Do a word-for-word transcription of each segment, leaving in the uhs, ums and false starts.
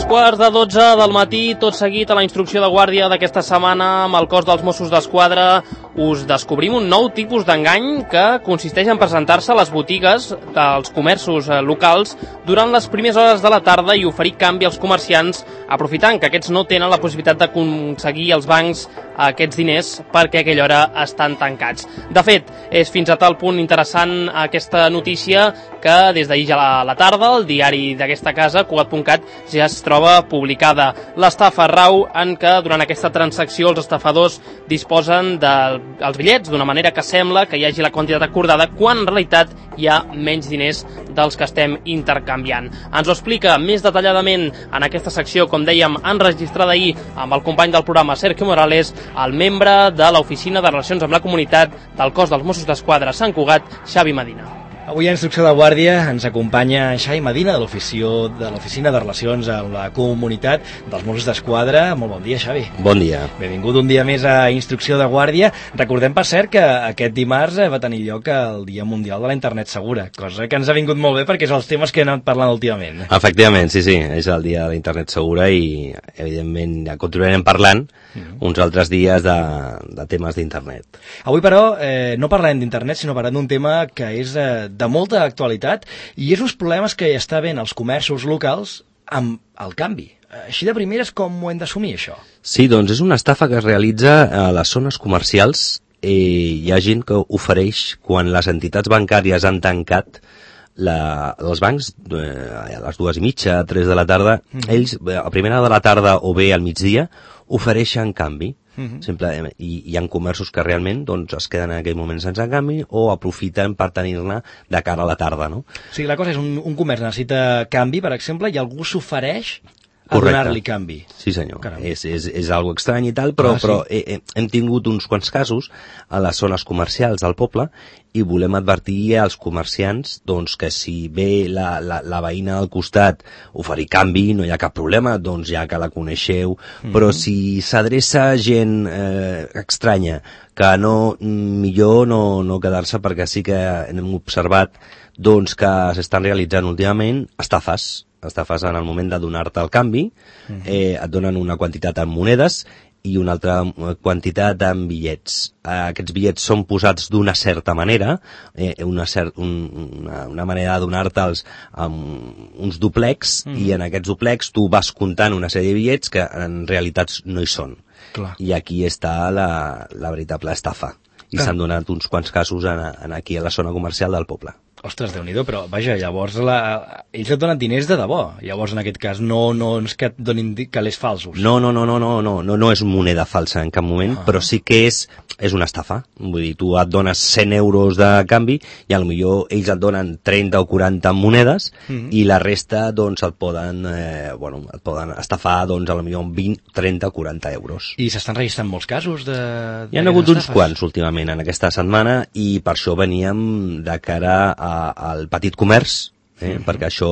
quarts de dotze del matí, tot seguit a la instrucció de guàrdia d'aquesta setmana amb el cos dels Mossos d'Esquadra us descobrim un nou tipus d'engany que consisteix en presentar-se a les botigues dels comerços locals durant les primeres hores de la tarda i oferir canvi als comerciants, aprofitant que aquests no tenen la possibilitat d'aconseguir als bancs aquests diners perquè a aquella hora estan tancats. De fet, és fins a tal punt interessant aquesta notícia que des d'ahir ja a la tarda el diari d'aquesta casa, Cugat punt cat, ja es troba publicada. L'estafa rau en què durant aquesta transacció els estafadors disposen dels bitllets d'una manera que sembla que hi hagi la quantitat acordada quan en realitat hi ha menys diners dels que estem intercanviant. Ens ho explica més detalladament en aquesta secció, com dèiem, enregistrada ahir amb el company del programa Sergio Morales, el membre de l'Oficina de Relacions amb la Comunitat del cos dels Mossos d'Esquadra Sant Cugat, Xavi Medina. Avui a Instrucció de Guàrdia ens acompanya Xavi Medina de l'Oficina de Relacions amb la Comunitat dels Mossos d'Esquadra. Molt bon dia, Xavi. Bon dia. Benvingut un dia més a Instrucció de Guàrdia. Recordem, per cert, que aquest dimarts va tenir lloc el Dia Mundial de la Internet Segura, cosa que ens ha vingut molt bé perquè és els temes que hem anat parlant últimament. Efectivament, sí, sí, és el Dia de la Internet Segura i, evidentment, ja continuarem parlant mm. uns altres dies de, de temes d'internet. Avui, però, eh, no parlarem d'internet, sinó parlarem d'un tema que és eh, de molta actualitat i és uns problemes que hi està havent als comerços locals amb el canvi. Així de primeres, com ho hem d'assumir, això? Sí, doncs és una estafa que es realitza a les zones comercials. Eh, hi ha gent que ofereix, quan les entitats bancàries han tancat la, els bancs, eh, a les dues i mitja, tres de la tarda, mm-hmm. ells a primera de la tarda o bé al migdia ofereixen canvi. Uh-huh. Simple, i hi ha comerços que realment doncs, es queden en aquell moment sense canvi o aprofiten per tenir-ne de cara a la tarda, no? O sigui, la cosa és, un, un comerç necessita canvi, per exemple, i algú s'ofereix a donar-li canvi. Sí, senyor. Caram. És, és, és algo estrany i tal, però, ah, sí. però eh, hem tingut uns quants casos a les zones comercials del poble i volem advertir als comerciants doncs, que si ve la, la, la veïna al costat oferir canvi, no hi ha cap problema, doncs ja que la coneixeu, mm-hmm. però si s'adreça gent eh, estranya, que no, millor no, no quedar-se, perquè sí que hem observat doncs, que s'estan realitzant últimament estafes, estafes en el moment de donar-te el canvi, uh-huh. eh, et donen una quantitat en monedes i una altra quantitat en bitllets. Eh, aquests bitllets són posats d'una certa manera, eh, una, cert, un, una, una manera de donar-te'ls amb uns duplex, uh-huh. i en aquests duplex tu vas comptant una sèrie de bitllets que en realitat no hi són. Clar. I aquí està la, la veritable estafa. I s'han donat uns quants casos en, en aquí a la zona comercial del poble. Ostres, Déu-n'hi-do, però vaja, llavors la... ells et donen diners de debò. Llavors, en aquest cas, no, no és que et donin calés falsos. No, no, no, no, no, no, no, no és moneda falsa en cap moment, ah. però sí que és, és una estafa. Vull dir, tu et dones cent euros de canvi i potser ells et donen trenta o quaranta monedes mm-hmm. i la resta, doncs, et poden, eh, bueno, et poden estafar, doncs, potser vint, trenta o quaranta euros. I s'estan registrant molts casos de... Hi ha hagut uns quants últimament en aquesta setmana i per això veníem de cara a al petit comerç, eh? Mm-hmm. perquè això,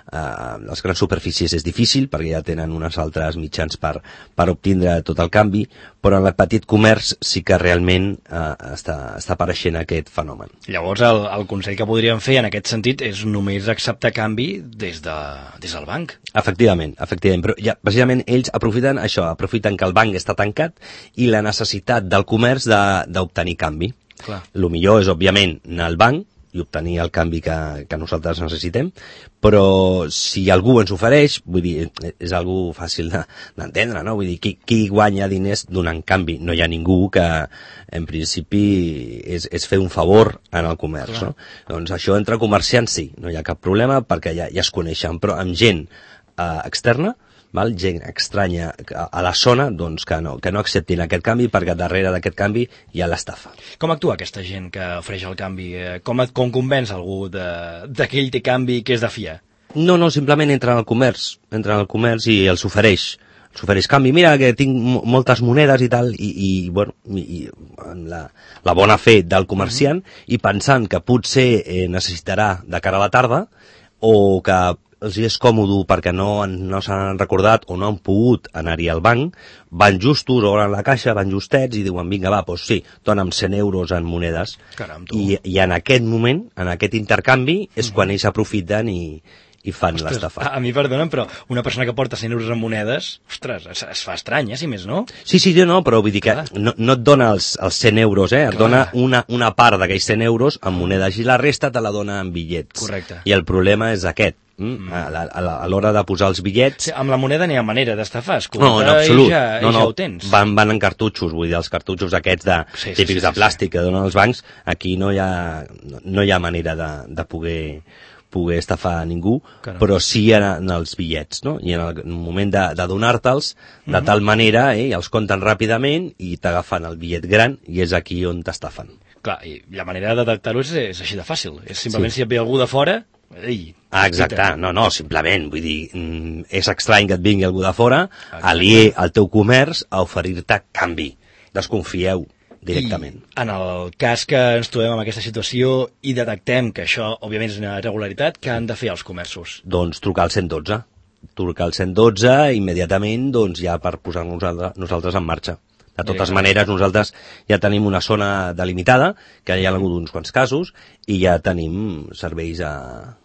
eh, les grans superfícies és difícil, perquè ja tenen uns altres mitjans per, per obtindre tot el canvi, però en el petit comerç sí que realment eh, està, està apareixent aquest fenomen. Llavors, el, el consell que podríem fer en aquest sentit és només acceptar canvi des, de, des del banc. Efectivament, efectivament, però ja, precisament ells aprofiten això, aprofiten que el banc està tancat i la necessitat del comerç de, d'obtenir canvi. Clar. El millor és, òbviament, anar al banc i obtenir el canvi que, que nosaltres necessitem, però si algú ens ofereix, vull dir, és algo fàcil de, d'entendre, no? Vull dir, qui, qui guanya diners donant canvi? No hi ha ningú que, en principi, és, és fer un favor en el comerç, Clar. no? Doncs això entre comerciants sí, no hi ha cap problema perquè ja, ja es coneixen, però amb gent eh, externa, val? Gent estranya a la zona, doncs que no, que no acceptin aquest canvi perquè darrere d'aquest canvi hi ha l'estafa. Com actua aquesta gent que ofereix el canvi? Com, com convenç algú de, de que ell té canvi que és de fiar? No, no, simplement entra al comerç, entra al comerç i els ofereix. S'ofereix canvi, mira que tinc moltes monedes i tal, i, i bueno, i, i la, la bona fe del comerciant, uh-huh. i pensant que potser eh, necessitarà de cara a la tarda, o que els és còmode perquè no, no s'han recordat o no han pogut anar-hi al banc, van justos, obren la caixa, van justets i diuen, vinga, va, doncs sí, dona'm cent euros en monedes. Caram, I, i en aquest moment, en aquest intercanvi, és uh-huh. quan ells aprofiten i, i fan Ostres, l'estafa. A, a mi perdonen, però una persona que porta cent euros en monedes, ostres, es, es fa estrany, eh, si més no? Sí, sí, no, però vull dir que no, no et dona els, els cent euros, eh? Et Clar. dona una, una part d'aquells cent euros en monedes i la resta te la dona en bitllets. Correcte. I el problema és aquest. Mm. A, la, a, la, a l'hora de posar els bitllets... Sí, amb la moneda n'hi ha manera d'estafar, es no, en absolut. I ja, no, no, i ja ho tens. Van, van en cartutxos, vull dir, els cartutxos aquests de, sí, sí, típics sí, de sí, plàstic sí. que donen els bancs, aquí no hi ha, no hi ha manera de, de poder, poder estafar a ningú, Caram. però sí en, en els bitllets, no? I en el moment de, de donar-te'ls, de Mhm. tal manera, eh, els compten ràpidament i t'agafen el bitllet gran i és aquí on t'estafen. Clar, i la manera de detectar-ho és, és així de fàcil. És simplement Sí. si et ve algú de fora... Ei, Ah, exacte, no, no, simplement, vull dir, mm, és estrany que et vingui algú de fora, aliè al teu comerç, a oferir-te canvi. Desconfieu directament. I en el cas que ens trobem en aquesta situació i detectem que això, òbviament, és una irregularitat, què han de fer els comerços? Doncs trucar al cent dotze. Trucar al cent dotze immediatament, doncs ja per posar-nos nosaltres, nosaltres en marxa. De totes maneres, nosaltres ja tenim una zona delimitada, que hi ha hagut uns quants casos, i ja tenim serveis a,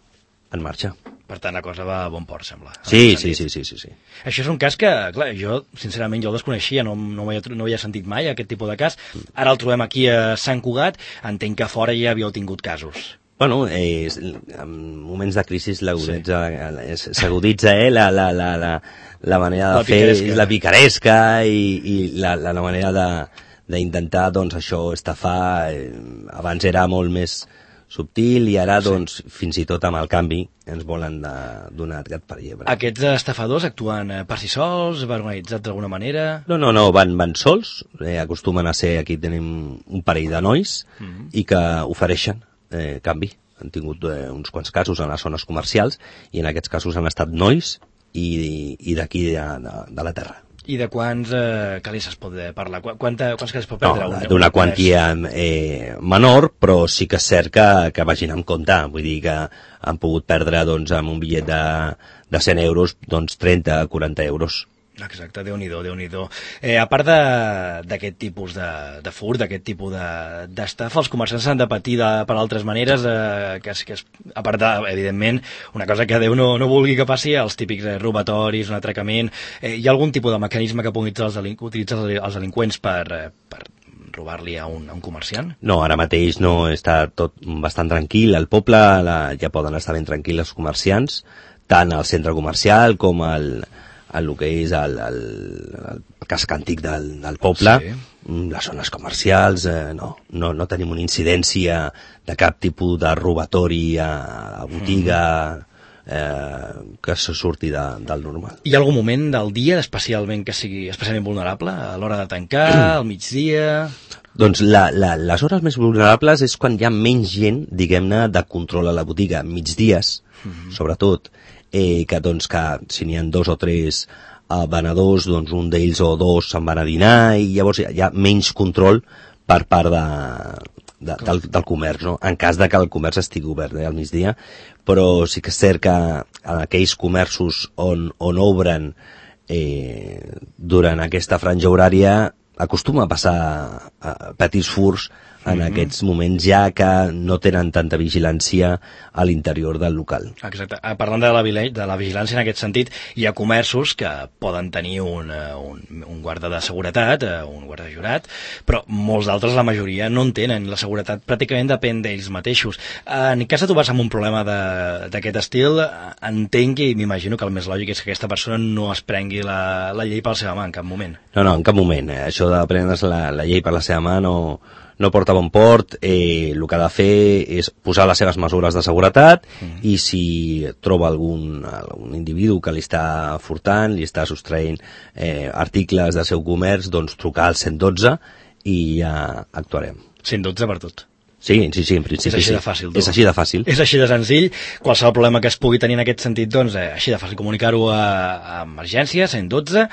en marxa. Per tant, la cosa va a bon port, sembla. Sí, sí, sí, sí, sí, sí. Això és un cas que, clar, jo, sincerament, jo el desconeixia, no, no, ho havia, no ho havia sentit mai, aquest tipus de cas. Ara el trobem aquí a Sant Cugat, entenc que a fora ja havíeu tingut casos. Bueno, eh, en moments de crisi l'aguditza, sí. s'aguditza eh, la, la, la, la, la manera de la fer, picaresca. la picaresca i, i la, la, la manera de d'intentar, doncs, això, estafar. Eh, abans era molt més subtil i ara, doncs, sí. fins i tot amb el canvi ens volen de, donar gat per llebre. Aquests estafadors actuen per si sols, van organitzats d'alguna manera? No, no, no, van, van sols, eh, acostumen a ser, aquí tenim un parell de nois mm -hmm. i que ofereixen eh, canvi. Han tingut eh, uns quants casos en les zones comercials i en aquests casos han estat nois i, i d'aquí de, de, de la terra. I de quants eh, calés es pot parlar? Quanta, quants calés pot perdre? No, d'una quantia eh, menor, però sí que és cert que, que vagin amb compte. Vull dir que han pogut perdre doncs, amb un bitllet de, de cent euros doncs, trenta a quaranta euros. Exacte, Déu-n'hi-do, Déu-n'hi-do. Eh, a part d'aquest tipus de, de furt, d'aquest tipus d'estafa, els comerciants han de patir de, per altres maneres, eh, que, és, que és, a part de, evidentment, una cosa que Déu no, no vulgui que passi, els típics eh, robatoris, un atracament. Eh, hi ha algun tipus de mecanisme que puguin utilitzar els, delinqu utilitzar els delinqüents per, eh, per robar-li a, un, a un comerciant? No, ara mateix no, està tot bastant tranquil. Al poble la, ja poden estar ben tranquils els comerciants, tant al centre comercial com al... el que és el, el, el casc antic del, del poble, sí. Les zones comercials, eh, no, no, no tenim una incidència de cap tipus de robatori a la botiga mm. eh, que se surti de, del normal. Hi ha algun moment del dia especialment que sigui especialment vulnerable? A l'hora de tancar, al migdia... Doncs la, la, les hores més vulnerables és quan hi ha menys gent, diguem-ne, de control a la botiga, migdies, mm-hmm. sobretot, eh, que doncs que si n'hi ha dos o tres eh, venedors, doncs un d'ells o dos se'n van a dinar i llavors hi ha, hi ha menys control per part de, de, del, del comerç, no? En cas de que el comerç estigui obert eh, al migdia, però sí que és cert que en aquells comerços on, on obren eh, durant aquesta franja horària acostuma a passar a petits furs en mm-hmm. aquests moments ja que no tenen tanta vigilància a l'interior del local. Exacte. Parlant de la, de la vigilància en aquest sentit, hi ha comerços que poden tenir un, un, un guarda de seguretat, un guarda jurat, però molts d'altres, la majoria, no en tenen. La seguretat pràcticament depèn d'ells mateixos. En cas de trobar-se amb un problema d'aquest estil, entenc i m'imagino que el més lògic és que aquesta persona no es prengui la, la llei per la seva mà en cap moment. No, no, en cap moment. Això de prendre's la, la llei per la seva mà no... no porta bon port, eh, el que ha de fer és posar les seves mesures de seguretat mm. i si troba algun, algun individu que li està furtant, li està sostraient eh, articles del seu comerç, doncs trucar al cent dotze i ja actuarem. cent dotze per tot. Sí, sí, sí, en principi és així sí. de fàcil. Tu. És així de fàcil. És així de senzill. Qualsevol problema que es pugui tenir en aquest sentit, doncs, eh, així de fàcil comunicar-ho a, a emergència, cent dotze,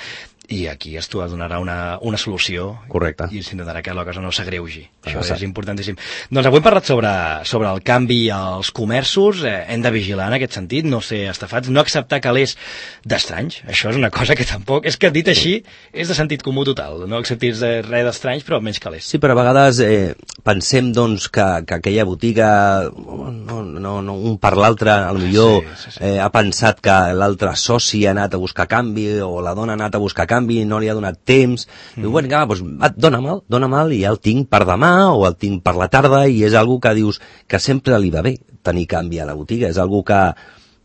i aquí es donarà una, una solució. Correcte. I s'intentarà que la cosa no s'agreugi. Això és importantíssim. Doncs avui hem parlat sobre, sobre el canvi als comerços. Eh, hem de vigilar en aquest sentit, no ser estafats, no acceptar calés d'estranys. Això és una cosa que tampoc... És que dit així és de sentit comú total. No acceptis res d'estranys, però menys calés. Sí, però a vegades, eh, pensem doncs, que, que aquella botiga, no, no, no, un per l'altre, potser sí, sí, sí. eh, ha pensat que l'altre soci ha anat a buscar canvi, o la dona ha anat a buscar canvi, no li ha donat temps, mm. diu, bueno, doncs, va, dóna'm-el, dóna'm-el, i ja el tinc per demà, o el tinc per la tarda, i és algo que dius que sempre li va bé tenir canvi a la botiga, és algo que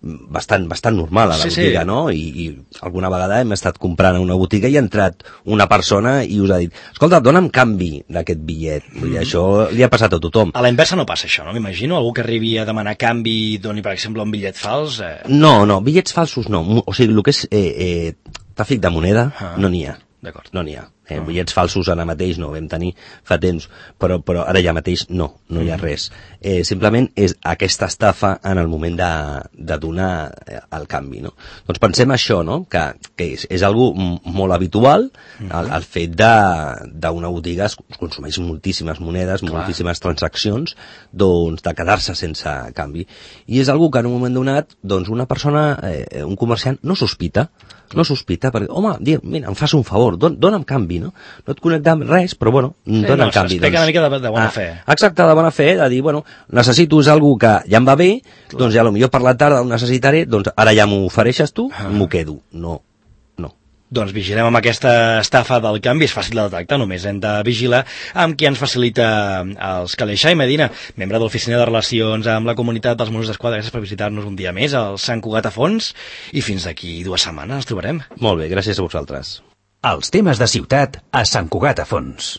bastant, bastant normal a la sí, botiga, sí. no? I, I alguna vegada hem estat comprant a una botiga i ha entrat una persona i us ha dit, escolta, dona'm canvi d'aquest bitllet. Vull dir, mm. això li ha passat a tothom. A la inversa no passa això, no? M'imagino algú que arribi a demanar canvi i doni, per exemple, un bitllet fals. Eh... No, no, bitllets falsos no. O sigui, el que és eh, eh, tràfic de moneda ah. no n'hi ha. D'acord. No n'hi ha. Eh, uh-huh. Bitllets falsos ara mateix no, vam tenir fa temps, però, però ara ja mateix no, no hi ha res. Eh, simplement és aquesta estafa en el moment de, de donar el canvi, no? Doncs pensem això, no? Que, que és, és algo molt habitual, uh-huh. el, el fet d'una botiga es consumeix moltíssimes monedes, Clar. moltíssimes transaccions, doncs de quedar-se sense canvi. I és algo que en un moment donat, doncs una persona, eh, un comerciant, no sospita, no sospita, perquè, home, mira, em fas un favor, don, dona'm canvi, no? No et connecta amb res, però bueno, sí, dona'm no, canvi. Doncs, una mica de, de bona ah, fe. Exacte, de bona fe, de dir, bueno, necessito és algú que ja em va bé, Clar. doncs ja potser per la tarda ho necessitaré, doncs ara ja m'ho ofereixes tu, ah. m'ho quedo. No, no. Doncs vigilem amb aquesta estafa del canvi, és fàcil de detectar, només hem de vigilar amb qui ens facilita els calés. Xai Medina, membre de l'Oficina de Relacions amb la Comunitat dels Mossos d'Esquadra, gràcies per visitar-nos un dia més al Sant Cugat a Fons, i fins d'aquí dues setmanes ens trobarem. Molt bé, gràcies a vosaltres. Els temes de ciutat a Sant Cugat a Fons.